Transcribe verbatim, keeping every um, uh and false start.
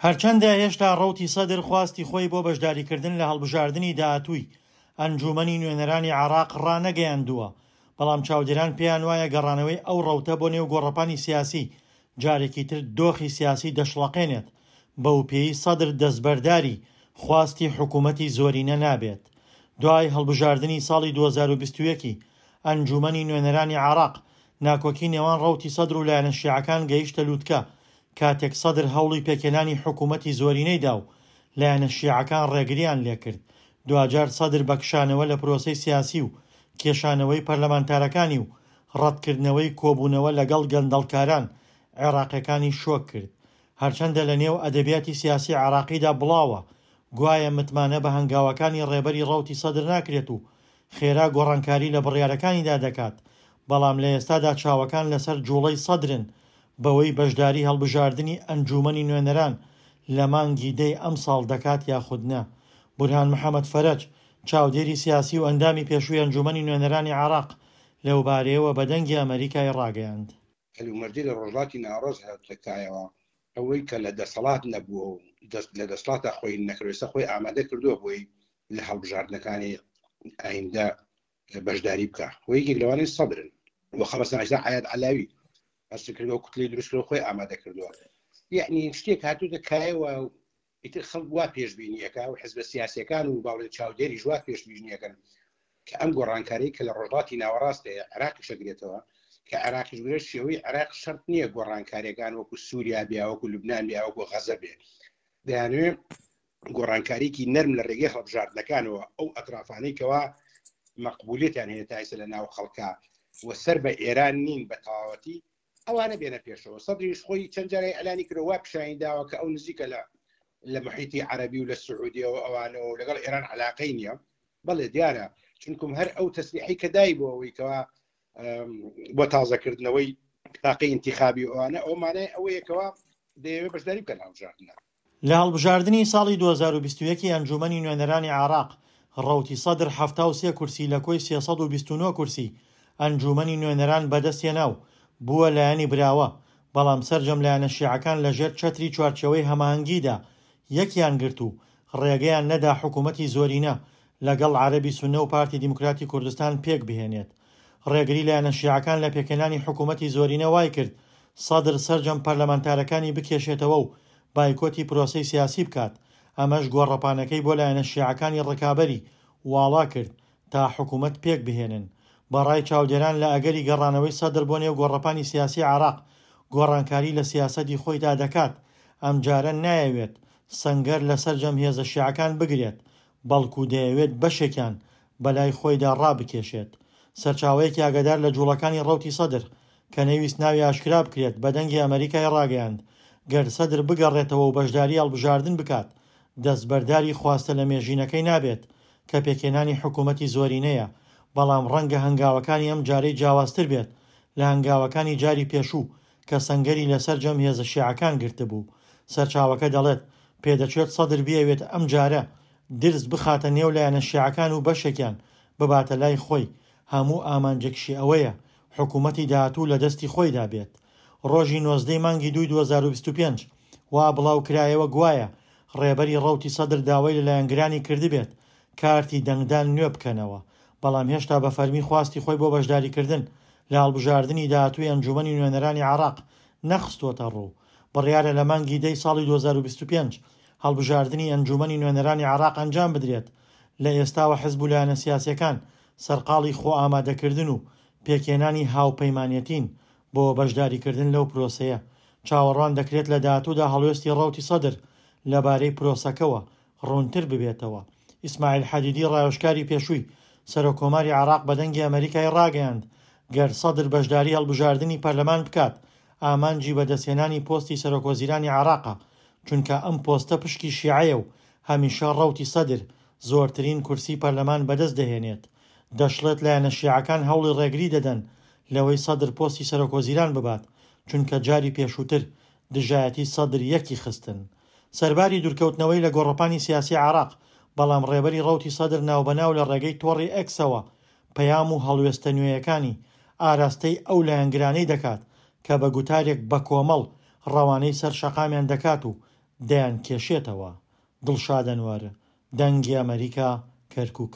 هەرچەندە هێشتا ڕەوتی سەدر خواستی خۆی بۆ بەشداریکردن لە هەڵبژاردنی داهاتووی ئەنجوومەنی نوێنەرانی عێراق ڕانەگەیاندووە، بەڵام چاودێران پێیان وایە گەڕانەوەی ئەو ڕەوتە بۆ نێو گۆڕەپانی سیاسی جارێکی تر دۆخی سیاسی دەشڵەقێنێت، بەوپێیەی سەدر دەستبەرداری خواستی حکوومەتی زۆرینە نابێت. دوای هەڵبژاردنی ساڵی دوو هەزار و بیست و یەک ی ئەنجوومەنی نوێنەرانی عێراق، ناکۆکی نێوان ڕەوتی سەدر و لایەنە شیعەکان گەیشتە لووتکە، کاتێک سەدر هەوڵی پێکهێنانی حکوومەتی زۆرینەی دا و لایەنە شیعەکان ڕێگریان لێکرد. دواجار سەدر بە کشانەوە لە پرۆسەی سیاسی و کێشانەوەی پەرلەمانتارەکانی و ڕەتکردنەوەی کۆبوونەوە لەگەڵ گەندەڵکاران عێراقیەکانی شۆک کرد. هەرچەندە لە نێو ئەدەبیاتی سیاسی عێراقیدا بڵاوە گوایە متمانە بە هەنگاوەکانی ڕێبەری ڕەوتی سەدر ناکرێت و خێرا گۆڕانکاری لە بڕیارەکانیدا دەکات، بەڵام لە ئێستادا چاوەکان لەسەر جوڵەی سەدرن بەوەی بەشداری هەڵبژاردنی ئەنجوومەنی نوێنەران لە مانگی دەی ئەمساڵ دەکات یاخود نا. بورهان محەمەد فەرەج، چاودێری سیاسی و ئەندامی پێشووی ئەنجوومەنی نوێنەرانی عێراق لەوبارەیەوە بە دەنگی ئەمەریکای ڕاگەیاند. هەلومەرجی لە ڕۆژهەڵاتی ناوەڕاست هاتووەتە کایەوە، ئەوەی کە لە دەسەڵات نەبووە و دەست لە دەسەڵاتە خۆی نەکردووە، ئێستا خۆی ئامادە کردووە بۆی لە هەڵبژاردنەکانی ئایندە بەشداری بکە و یەکێک لەوانەی سەدرن و خەڵەسان ئێستا عەیاد عەلاوی هەست کردووە، کوتلەی دروست کردووە، خۆی ئامادە کردووە. یعنی شتێک هاتووتە کایەوە و ئیتر خەڵک وا پێشبینیەکە و حزبە سیاسیەکان و باڵێ چاودێریش وا پێشبینیەکەن کە ئەم گۆڕانکاری کە لە ڕۆژهەڵاتی ناوەڕاست هەیە عێراقیش ئەگرێتەوە، کە عێراقیش بگرێت شێوەی عێراق شەرت نییە گۆڕانکاریەکان وەکو سووریا بێ، وەکو لوبنان بێ، وەکو غەزە بێ. دەیانەوێت گۆڕانکاریکی نەرم لە ڕێگەی هەڵبژاردنەکانەوە ئەو ئەطرافانەی کەوا مەقبولیەتیان هەیە تا ئێستا لە ناو خەڵکا و سەر بە ئێران نین بە تەواوەتی، ئەوانە بێنە پێشەوە. سەدریش خۆی چەند جارێک ئەلانی کردەوە، وا پیشانی داوە کە ئەو نزیکە لە لە محیطی عەرەبی و لە سعودیەوە ئەوانەوە و لەگەڵ ئێران علاقەی نییە. بەڵێ دیارە، چونکم هەر ئەو تەسریحی کە دای بۆ ئەوەی کەوا، ئەم، بۆ تازەکردنەوەی تاقی ئینتیخابی ئەوانە، ئەو مانای ئەوەیەکەوە دەیەوێت بەشداری بکەن هەڵبژاردنە. لە هەڵبژاردنی ساڵی دوو هەزار و بیست و یەک ئەنجوومەنی نوێنەرانی عێراق، ڕەوتی سەدر حەفتا و سێ کورسی لە کۆی سێ سەد و بیست و نۆ کورسی ئەنجوومەنی نوێنەران بەدەستهێنا و بووە لایەنی براوە، بەڵام سەرجەم لایەنە شیعەکان لەژێر چەتری چوارچێوەی هەماهەنگیدا یەکیان گرت و ڕێگەیان نەدا حکوومەتی زۆرینە لەگەڵ عەرەبی سوننە و پارتی دیموکراتی کوردستان پێک بهێنێت. ڕێگری لایەنە شیعەکان لە پێکهێنانی حکوومەتی زۆرینە وای کرد سەدر سەرجەم پەرلەمانتارەکانی بکێشێتەوە و بایکۆتی پرۆسەی سیاسی بکات، ئەمەش گۆڕەپانەکەی بۆ لایەنە شیعەکانی ڕکابەری واڵا کرد تا حکوومەت پێک بهێنن. بەڕای چاودێران لە ئەگەری گەڕانەوەی سەدر بۆ نێو گۆڕەپانی سیاسی عێراق گۆڕانکاری لە سیاسەتی خۆیدا دەکات، ئەمجارە نایەوێت سەنگەر لە سەرجەم هێزە شیعەکان بگرێت، بەڵکو دەیەوێت بەشێکیان بەلای خۆیدا ڕابکێشێت. سەرچاوەیەکی ئاگادار لە جوڵەکانی ڕەوتی سەدر کە نەویست ناوی ئاشکرا بکرێت بە دەنگی ئەمریکای ڕاگەیاند گەر سەدر بگەڕێتەوە و بەشداری هەڵبژاردن بکات دەستبەرداری خواستە لە مێژینەکەی نابێت کە پێکهێنانی حکوومەتی زۆرینەیە، بەڵام ڕەنگە هەنگاوەکانی ئەم جارەی جیاوازتر بێت لە هەنگاوەکانی جاری پێشوو کە سەنگەری لەسەر جەم هێزە شیعەکان گرتبوو. سەرچاوەکە دەڵێت پێدەچێت سەدر بیەوێت ئەم جارە درز بخاتە نێو لایەنە شیعەکان و بەشێکیان بباتە لای خۆی، هەموو ئامانجێکشی ئەوەیە حکوومەتی داهاتوو لە دەستی خۆیدا بێت. ڕۆژی نۆزدەی مانگی دووی دوو هەزار و بیست و پێنج وا بڵاو کرایەوە گوایە ڕێبەری ڕەوتی سەدر داوای لە لایەنگرانی کردبێت کارتی دەنگدان نوێ بکەنەوە، بەڵام هێشتا بە فەرمی خواستی خۆی بۆ بەشداریکردن لە هەڵبژاردنی داهاتووی ئەنجوومەنی نوێنەرانی عێراق نەخستۆتە ڕوو. بڕیارە لە مانگی دەی ساڵی دوو هەزار و بیست و پێنج هەڵبژاردنی ئەنجوومەنی نوێنەرانی عێراق ئەنجام بدرێت. لە ئێستاوە حزب و لایەنە سیاسیەکان سەرقاڵی خۆ ئامادەکردن و پێکهێنانی هاوپەیمانێتین بۆ بەشداریکردن لەو پرۆسەیە. چاوەڕوان دەکرێت لە داهاتوودا هەڵوێستی ڕەوتی سەدر لەبارەی پرۆسەکەوە ڕوونتر ببێتەوە. ئیسماعیل حەدیدی ڕاوێژکاری پێشووی سەرۆک کۆماری عێراق بە دەنگی ئەمریکای ڕاگەیاند گەر سەدر بەشداری هەڵبژاردنی پەرلەمان بکات ئامانجی بەدەستهێنانی پۆستی سەرۆک وەزیرانی عێراقە، چونکە ئەم پۆستە پشکی شیعەیە و هەمیشە ڕەوتی سەدر زۆرترین کورسی پەرلەمان بەدەست دەهێنێت. دەشڵێت لایەنە شیعەکان هەوڵی ڕێگری دەدەن لەوەی سەدر پۆستی سەرۆک وەزیران ببات، چونکە جاری پێشووتر دژایەتی سەدر یەکی خستن. سەرباری دوورکەوتنەوەی لە گۆڕەپانی سیاسی عێراق، بەڵام ڕێبەری ڕەوتی سەدر ناوبەناو لە ڕێگەی تۆڕی ئێکسەوە پەیام و هەڵوێستە نوێیەکانی ئاراستەی ئەو لایەنگرانەی دەکات کە بە گوتارێک بە کۆمەڵ ڕەوانەی سەر شەقامیان دەکات و دەیانکێشێتەوە. دڵشاد ئەنوەر، دەنگی ئەمەریکا، کەرکوک.